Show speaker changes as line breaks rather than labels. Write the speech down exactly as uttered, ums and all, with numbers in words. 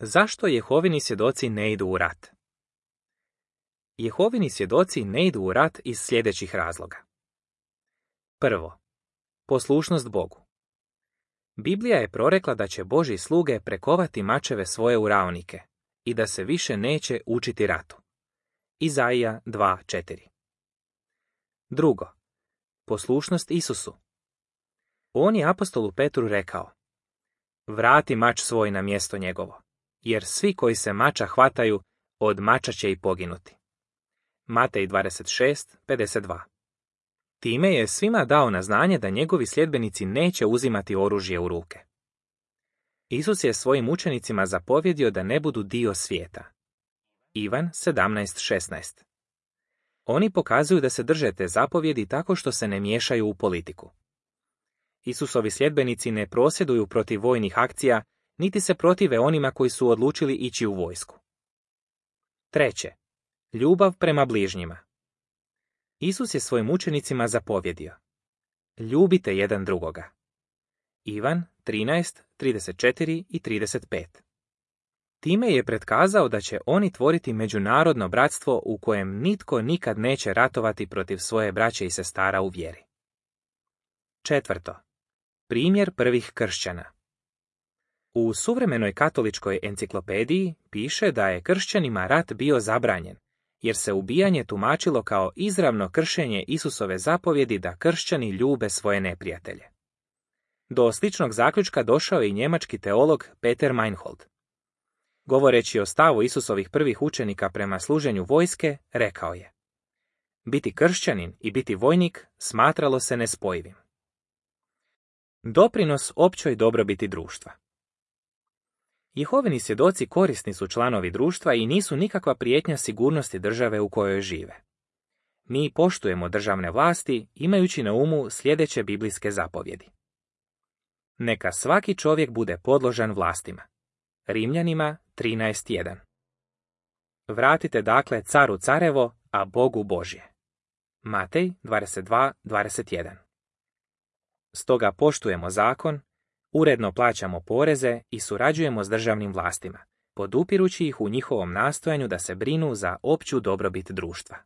Zašto Jehovini svjedoci ne idu u rat? Jehovini svjedoci ne idu u rat iz sljedećih razloga. Prvo, poslušnost Bogu. Biblija je prorekla da će Božji sluge prekovati mačeve svoje u raonike i da se više neće učiti ratu. Izaija dva četiri. Drugo, poslušnost Isusu. On je apostolu Petru rekao: vrati mač svoj na mjesto njegovo, jer svi koji se mača hvataju, od mača će i poginuti. Matej dvadeset šest pedeset dva. Time je svima dao na znanje da njegovi sljedbenici neće uzimati oružje u ruke. Isus je svojim učenicima zapovjedio da ne budu dio svijeta. Ivan sedamnaest šesnaest. Oni pokazuju da se drže te zapovjedi tako što se ne miješaju u politiku. Isusovi sljedbenici ne prosvjeduju protiv vojnih akcija, niti se protive onima koji su odlučili ići u vojsku. Treće, ljubav prema bližnjima. Isus je svojim učenicima zapovjedio: ljubite jedan drugoga. Ivan trinaest trideset četiri i trideset pet. Time je pretkazao da će oni tvoriti međunarodno bratstvo u kojem nitko nikad neće ratovati protiv svoje braće i sestara u vjeri. Četvrto, primjer prvih kršćana. U suvremenoj katoličkoj enciklopediji piše da je kršćanima rat bio zabranjen, jer se ubijanje tumačilo kao izravno kršenje Isusove zapovjedi da kršćani ljube svoje neprijatelje. Do sličnog zaključka došao je i njemački teolog Peter Meinhold. Govoreći o stavu Isusovih prvih učenika prema služenju vojske, rekao je: biti kršćanin i biti vojnik smatralo se nespojivim. Doprinos općoj dobrobiti društva. Jehovini svjedoci korisni su članovi društva i nisu nikakva prijetnja sigurnosti države u kojoj žive. Mi poštujemo državne vlasti imajući na umu sljedeće biblijske zapovjedi. Neka svaki čovjek bude podložan vlastima. Rimljanima trinaest jedan. Vratite dakle caru carevo, a Bogu Božje. Matej dvadeset dva dvadeset jedan. Stoga poštujemo zakon, uredno plaćamo poreze i surađujemo s državnim vlastima, podupirući ih u njihovom nastojanju da se brinu za opću dobrobit društva.